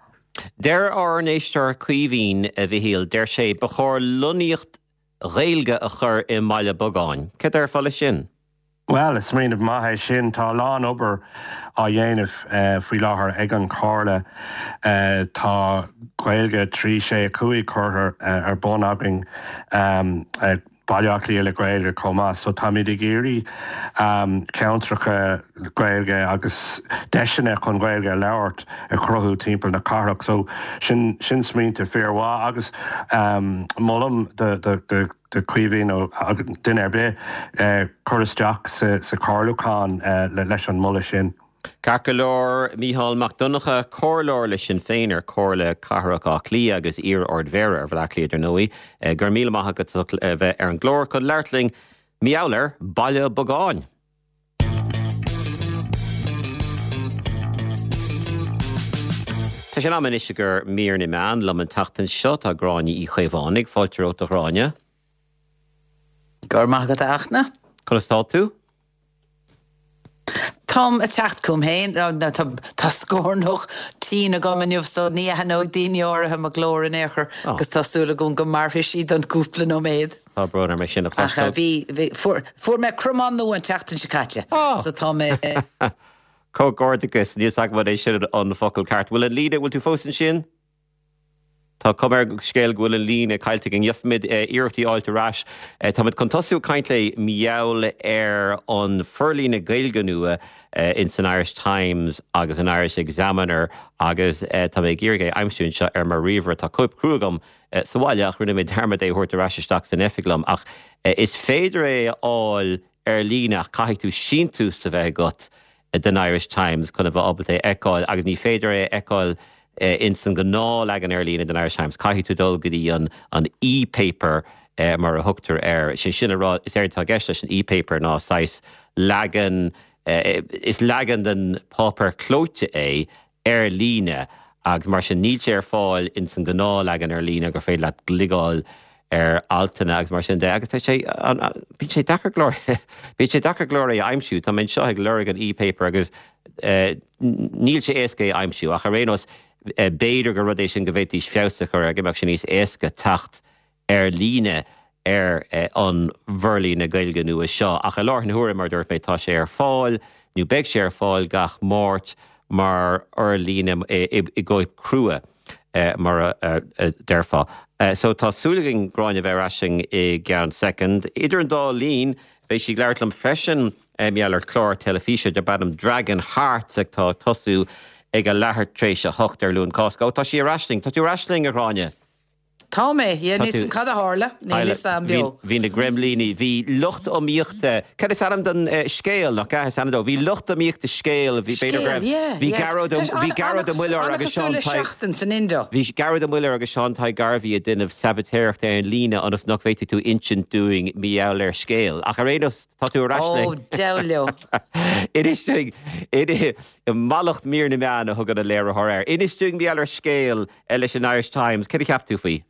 Deir ár n-éisteoir Caoimhín, a Mhichíl, deir sé, ba chóir lonnaíocht Ghaeilge a chur i mBaile Bogáin. Céard a déarfá leis sin? Bhuel, is smaoineamh maith é sin. Tá a lán obair á dhéanamh faoi láthair ag an Chomhairle. Tá Gaeilge 3, 6, 5 curtha ar bun againn, Baile Átha Cliath le Gaeilge chomh maith. So táimid ag iarraidh ceantracha Gaeilge agus deiseanna chun Gaeilge a labhairt a chruthú timpeall na cathrach. So sin sin smaointe fíormhaith agus molaim do do do Chaoimhín nó duine ar bith cur isteach sa chomhairliúchán leis an moladh sin. Ceart go leor, Mícheál Mac Donncha, Comhairleoir le Sinn Féin ar Chomhairle Cathrach Átha Cliath agus iar-Ard-Mhéara ar Bhaile Átha Cliath dar ndóigh. Go raibh míle maith agat as ucht a bheith ar an gclár chun labhairt linn mar gheall ar Baile Bogáin. Tá sé in am anois i gcomhair mír na meán. Liom an tseachtain seo tá Gráinne Uí Chaomhánaigh. Fáilte romhat a Ghráinne. Go raibh maith agat a Fhachtna. Conas tá tú? Táim ag teacht chugam féin. Tá scornach tinn agam inniu so ní aithneoidh daoine áirithe mo ghlór in aon chor agus tá súil agam go mairfidh sí don gcúpla nóiméad. Tá brón orm é sin a chloisteáil. Ach bhí, bhí, fuair, fuair mé cromán nua an tseachtain seo caite so tá mé. Comhghairdeachas, níl 's agam an é sin an focal ceart. Bhfuil an líne, bhfuil tú fós ansin? Tá cuma ar an scéal go bhfuil an líne caillte againn. Gheobhaimid iarracht í a fháilt ar ais. Táimid chun tosú ag caint léi mar gheall ar an forlíonadh Gaeilge nua ins an Irish Times agus an Irish Examiner agus tá mé ag iarraidh é a aimsiú anseo ar mo ríomhaire. Tá cóip crua agam sa bhaile ach rinne mé dearmad é a thabhairt ar ais isteach san oifig liom. Ach is féidir é a fháil ar líne ach caithfidh tú síntiús a bheith agat den Irish Times chun a bheith ábalta é a fheiceáil agus ní féidir é a fheiceáil ins an ghnáthleagan ar líne den Irish Times. Caithfidh tú dul go dtí an an e-paper mar a thugtar air. Sé sin a rá, is éard atá i gceist leis an e-paper ná saghas leagan, is leagan den páipéar clóite é ar líne agus mar sin níl sé ar fáil ins an gnáthleagan ar líne gur féidir leat gliogáil ar altanna agus mar sin de agus tá sé, bíonn sé deacair go leor, bíonn sé deacair go leor é a aimsiú. Tá mé anseo ag lorg an e-paper agus níl sé éasca é a aimsiú ach ar aon nós b'fhéidir gur rud é sin go bhféadfaidís feabhas a chur air, go mbeadh sé níos éasca teacht ar líne ar an bhforlíonadh Gaeilge nua seo. Ach i láthair na huaire, mar a dúirt mé, tá sé ar fáil, nó beidh sé ar fáil gach Máirt mar fhorlíonadh i gcóip chrua, mar a déarfá. So tá súil againn Gráinne a bheith ar ais linn i gceann soicind. Idir an dá linn, beidh sí ag labhairt liom freisin mar gheall ar chlár teilifíse darb ainm Dragon Hearts atá ag tosú ag a leathuair tar éis a hocht ar Luan Cásca. Ó, tá sí ar ais linn. Tá tú ar ais linn, a Ghráinne? Tá mé, yeah, níl 'fhios a'm cad a tharla, níl 'fhios a'm beo. Bhí na greimlíní, bhí lucht iomaíochta, cad is ainm don scéal, nach ea is ainm dó, bhí lucht iomaíochta scéal, bhí b'fhéidir go raibh, bhí Gearóid Ó, bhí Gearóid Ó Muilleoir agus Seán Tadhg, bhí Gearóid Ó Muilleoir agus Seán Tadhg Garvey ag déanamh sabaitéireachta ar an líne ionas nach bhféadfaidh tú insint dúinn mar gheall ar scéal. Ach ar aon nós, tá tú ar ais linn. Ó, deabhal leo. Inis dúinn, mallacht mír na meán a thugann an léiritheoir air. Inis dúinn mar gheall ar scéal leis an Irish Times. Céard a cheap tú faoi?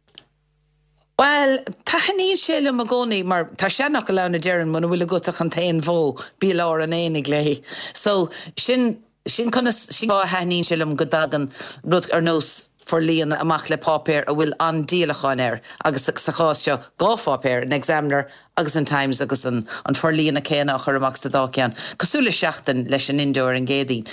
Bhuel, taitníonn sé liom i gcónaí mar tá seanfhocal ann a deireann muna bhfuil agat ach an t-aon bhó, bí i lár an aonaigh léi. So, sin, sin conas, sin fáth a thaitníonn sé liom go dtagann rud ar nós. forlíonadh amach le páipéar a bhfuil an-díolachán air agus sa chás seo dhá pháipéar, an Examiner agus an Times agus an forlíonadh céanna á chur amach sa dá cheann, cosúil le Seachtain leis an Indo ar an gCéadaoin.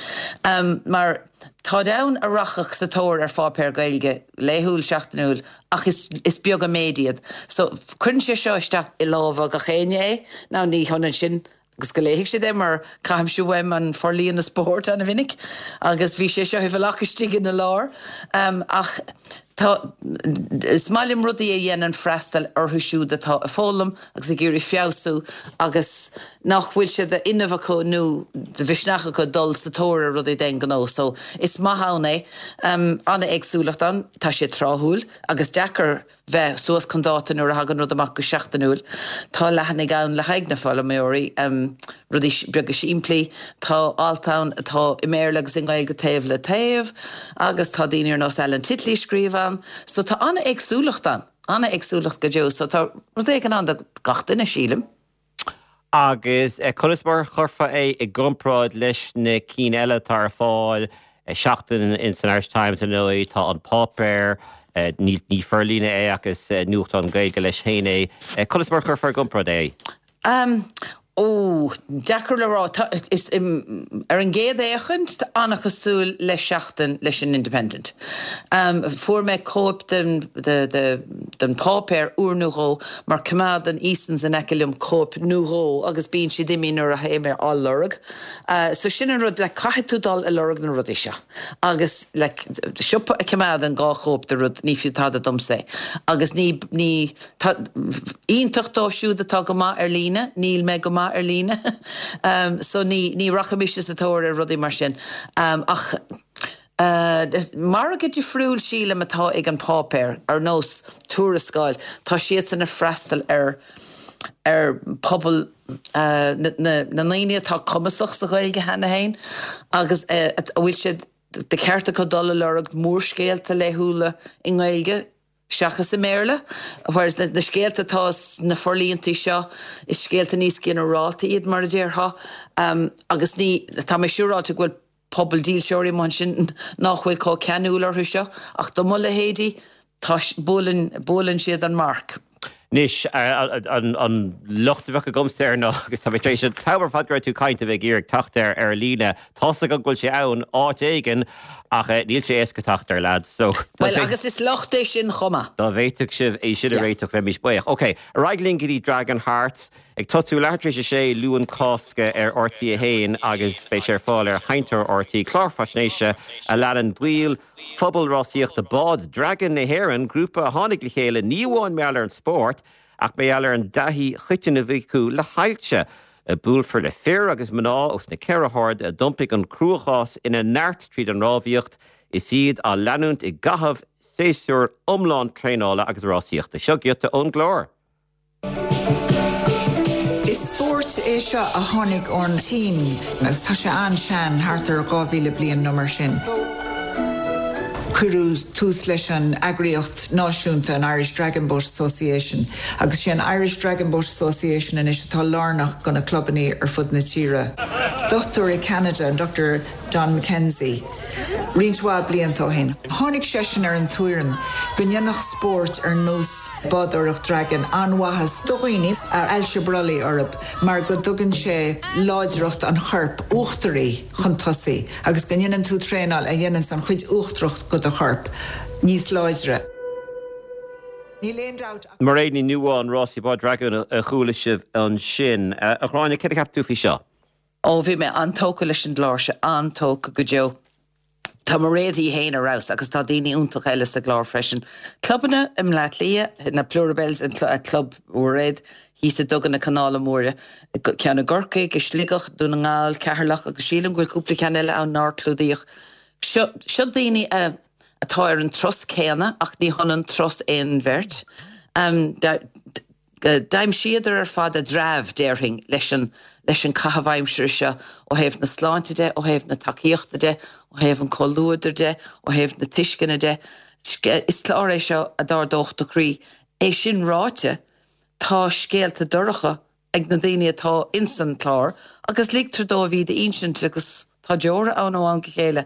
Mar táid ann a rachadh sa tóir ar pháipéar Gaeilge laethúil, seachtainiúil ach is is beag an méid iad. So cuireann sé seo isteach i lámha gach éinne é. Now ní hionann sin agus go léifidh siad é mar caithimse uaim an forlíonadh spóirt ana-mhinic agus bhí sé seo i bhfolach istigh ina lár. Ach tá, is maith liom rudaí a dhéanann freastal orthu siúd atá ag foghlaim agus ag iarraidh feabhsú agus nach bhfuil sé d'fhuinneamh acu nó de mhisneach acu dul sa tóir ar rudaí d'aon ghnó. So is maith ann é. An-éagsúlacht ann, tá sé tráthúil agus deacair bheith suas chun dáta nuair a thagann rud amach go seachtainiúil. Tá leathanaigh ann le haghaidh na foghlaimeoirí, rudaí beaga simplí. Tá alt ann atá i mBéarla agus i nGaeilge taobh le taobh agus tá daoine ar nós Alan Titley ag scríobh ann. So tá an-éagsúlacht ann, an-éagsúlacht go deo. So tá rud éigin ann do gach duine, sílim. Agus conas mar a chuirfeá é i gcomparáid leis na cinn eile atá ar fáil? Seachtain in san Irish Times ar ndóigh, tá an páipéar, ní forlíonadh é ach is nuachtán Gaeilge leis féin é. Conas mar a chuirfeá i gcomparáid é? Ó, deacair le rá. Tá, is, ar an gcéad fhéachaint, tá an-chosúil le Seachtain leis an Independent. Fuair mé cóip den, de, de, den pháipéar uair nó dhó mar coimeádann Eason's in aice liom cóip nó dhó agus bíonn siad imithe nuair a théim á lorg. So sin an rud, like caithfidh tú dul ag lorg na rudaí seo agus like siopa a choimeádann dhá chóip de rud ní fiú tada domsa é agus ní, ní, tá, iontach dóibh siúd atá go maith ar líne, níl mé go maith ar líne so ní, ní rachaidh mise sa tóir ar rudaí mar sin ach. Margadh difriúil, sílim, atá ag an páipéar, ar nós Tuarascáil, tá siadsan ag freastal ar ar pobal na na ndaoine atá cumasach sa Ghaeilge cheana féin agus a bhfuil sé de cheart acu dul a lorg mórscéalta laethúla i nGaeilge seachas i mBéarla, whereas na scéalta atá sna forlíontaí seo, is scéalta níos ginearálta iad, mar a déarfá, agus ní, tá mé siúráilte go bhfuil pobal dílseoirí amuigh ansin nach bhfuil chomh ceanúil orthu seo, ach do mo leithéidí, tá, buaileann, buaileann siad an marc. Anois, an locht a bheadh agamsa air ná, agus tá mé tar éis an t-am ar fad go raibh tú ag caint a bheith ag iarraidh teacht air ar líne, tá's agam go bhfuil sé ann áit éigin, ach níl sé éasca teacht air, lads, so. Bhuel, agus is locht é sin chomh maith. Dá bhféadfadh sibh é sin a réiteach, bheimis buíoch. Ok, ar aghaidh linn go dtí Dragon Hearts. Ag tosú leathuair tar éis a sé Luan Cásca ar RTÉ 1 agus beidh sé ar fáil ar Sheinnteoir RTÉ, clár faisnéise a leanann baill phobal rásaíochta bád Dragan na hÉireann, grúpa a tháinig le chéile ní amháin mar gheall ar an spórt ach mar gheall ar an dtaithí choiteann a bhí acu le hailse. Buailfear le fir agus mná os na ceithre hairde a d'iompaigh an cruachás ina neart tríd an rámhaíocht is iad á leanúint i gcaitheamh séasúr iomlán traenála agus rásaíochta. Seo giota ón gclár. Is spórt é seo a tháinig ón tSín agus tá sé an-sean, thart ar 2,000 bliain nó mar sin. Cuireadh tús leis an eagraíocht náisiúnta, an Irish Dragon Boat Association, agus sé an Irish Dragon Boat Association anois atá lárnach do na clubannaí ar fud na tíre. Dochtúir i Ceanada, an Dr. Don McKenzie, roinnt mhaith blianta ó shin. Tháinig seisean ar an tuairim go ndéanfadh spórt ar nós bádóireacht dragan an-mhaitheas do dhaoine a ailse brollaigh orthu mar go dtugann sé láidreacht an choirp uachtaraigh chun tosaigh agus go ndéanann tú traenáil a dhéananns an chuid uachtarach de do chorp níos láidre. Níl aon dabht ach. Mairéad Ní Nuadháin, rásaí bád dragan a chuala sibh ansin. A Ghráinne, céard a cheap tú faoi seo? Ó, bhí mé an-tógtha leis an gclár seo, an-tógtha go deo. Tá Mairéad í fhéin ar fheabhas agus tá daoine iontacha eile sa gclár freisin. Clubanna i mBleá Cliath, na Plurabelles, an club Mhairéad thíos i nDuga na Canála Móire, ceann i gCorcaigh, i Sligeach, Dún na nGall, Ceatharlach agus sílim go bhfuil cúpla ceann eile ann nár clúdaíodh. Seo, seo daoine a, atá ar an turas céanna ach ní hionann turas aon bheirt. D'aimsíodar ar fad a dtreabh, déarfainn, leis an leis an caitheamh aimsire seo, ó thaobh na sláinte de, ó thaobh na tacaíochta de, ó thaobh an chomhluadair de, ó thaobh na tuisceana de. Is clár é seo a d'ardódh do chroí. É sin ráite, tá scéalta dorcha ag na daoine atá insan chlár agus ligtear dóibh iad a insint agus tá deora ann ó am go chéile.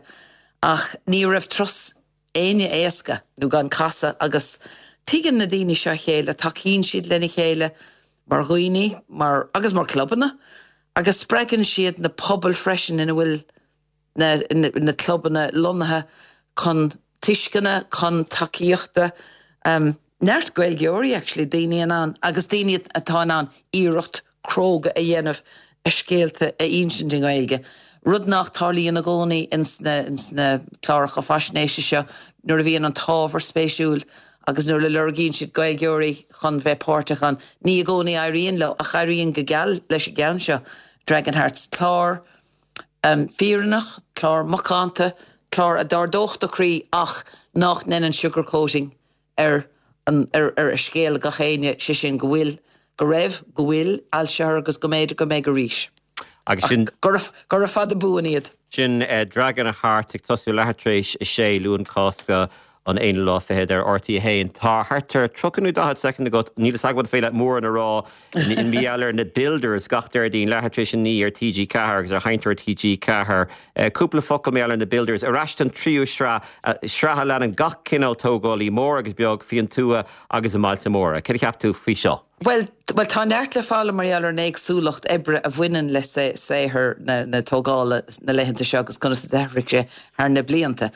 Ach ní raibh turas. éinne éasca nó gan casadh agus tuigeann na daoine seo a chéile, tacaíonn siad lena chéile mar dhaoine, mar, agus mar clubanna agus spreagann siad na pobail freisin ina bhfuil na, na clubanna lonnaithe chun tuisceana, chun tacaíochta. Neart Gaeilgeoirí actually, daoine in ann, agus daoine atá in ann iarracht cróga a dhéanamh a scéalta a insint i nGaeilge, rud nach tarlaíonn i gcónaí ins na, ins na cláracha faisnéise seo nuair a bhíonn an t-ábhar spéisiúil agus nuair a lorgaíonn siad Gaeilgeoirí chun bheith páirteach ann. Ní i gcónaí éiríonn leo, ach éiríonn go geal leis an gceann seo, Dragon Hearts, clár fírinneach, clár macánta, clár a d'ardódh do chroí ach nach ndéanann sugar-coating ar an, ar, ar scéal gach éinne, sé sin go bhfuil, go raibh, go bhfuil ailse agus go mb'fhéidir go mbeidh arís. Agus sin. Gura, gura fada buan iad. Sin Dragon Hearts ag tosú leathuair tar éis a sé, Luan Cásca an aonú lá fichead ar RTÉ 1. Tá thart ar 30 nó 40 soicind agat, níl fhios agam an féidir leat mórán a rá i mar gheall ar na Builders gach Déardaoin leathuair tar éis a 9 ar TG4 agus ar Sheinnteoir TG4. Cúpla focal mar gheall ar na Builders. Ar ais don tríú sraith, sraith a leanann gach cineál tógálaí, mór agus beag, faoin tuath agus i mbailte móra. Céard a cheap tú faoi seo? Bhuel, bhuel, tá neart le foghlaim mar gheall ar an éagsúlacht oibre a bhaineann le saothar na tógála na laethanta seo agus conas a d'athraigh sé thar na blianta.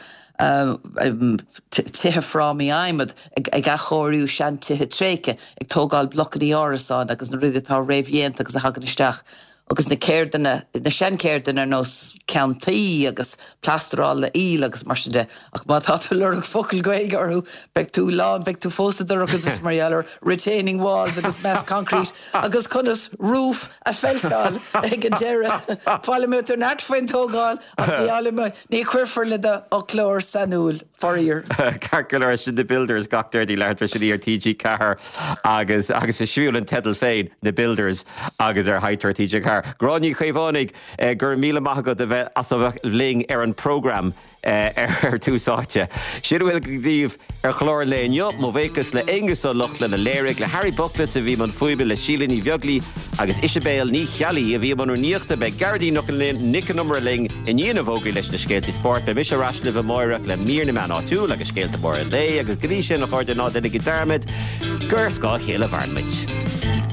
Tithe frámaí adhmaid, ag athchóiriú seantithe tréigthe, ag tógáil blocanna árasán agus na rudaí atá réamhdhéanta agus a thagann isteach agus na ceirdeanna, na seancheirdeanna ar nós ceann tuí agus plasteráil le haoil agus mar sin de. Ach má tá tú ag lorg focal Gaeilge orthu, beidh tú lán, beidh tú fós sa dorchadas mar gheall ar retaining walls agus mass concrete agus conas roof a pheilteáil ag an deireadh. Foghlaimeoidh tú neart faoin tógáil ach ní fhoghlaimeoidh, ní chuirfear le do fhoclóir sainiúil, faraor. Ceart go leor, sin The Builders gach Déardaoin leathuair tar éis a naoi ar TG4 agus agus is suimiúil an teideal féin, The Builders agus ar Sheinnteoir TG4. Gráinne Ní Chaomhánaigh, go raibh míle maith agat a bheith as a bheith linn ar an program ar Tús Áite. Sin a bhfuil daoibh ar chlár an lae inniu. Mo bhuíochas le Aonghus Ó Lochlainn a léirigh, le Harry Bookless a bhí i mbun fuaime, le Síle Ní Bheaglaoi agus Isibéal Ní Cheallaigh a bhí i mbun rúnaíochta. Beidh Gearóidín Nic Con Iomaire linn i ndiaidh na bhfógraí leis na scéaltaí spóirt. Beidh mise ar ais libh amáireach le mír na meán áitiúil agus scéalta móra an lae agus go dtí sin, a chairde, ná déanaigí dearmad gur ar scáth a chéile a mhaireann muid.